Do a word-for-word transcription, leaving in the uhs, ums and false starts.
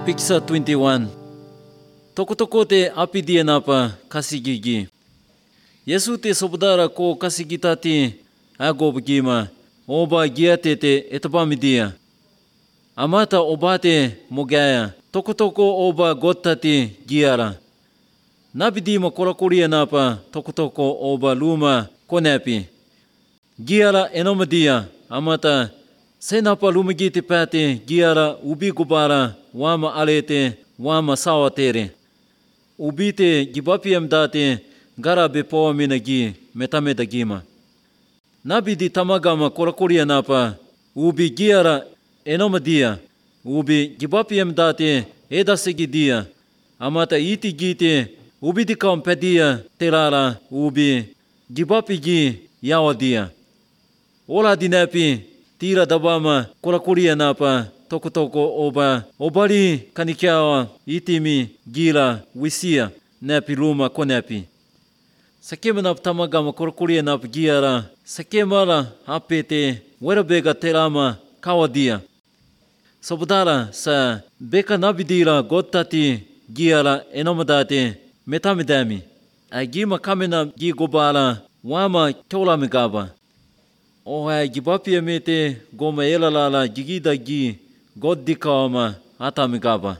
Picture twenty-one. Toko-toko te apidia napa kasigigi. Yesu te sobudara ko kasigitati agobgima. Oba giate te etapamidia. Amata obate mogaya. Toko-toko oba gotati giara. Nabidima korakoria napa toko-toko oba luma konepi. Giara enomadia. Amata senapa lumagiti pati giara ubi gubara wama alete wama sawatere. Ubite gibapiam date gara bepoa minagi metamedagima. Nabidi tamagama korakoria napa ubi giara enomadia. Ubi gibapiam date edasigidia. Amata iti gite ubidi kampedia terara ubi gibapigi yawadia. Ola dinapi tira dabama korakoria napa toko-toko oba obari kanikiawa itimi gira wisia napi luma konepi. Sakema nap tamagama korakoria nap giara sakemara apete werabega terama kawadia. Sobudara sa beka nabidira gotati giara enomadate metamidami. Agima kamena gigobara wama kyolamigaba. Oha gibapia mete goma elalala gigida gi goddikawama atamigaba.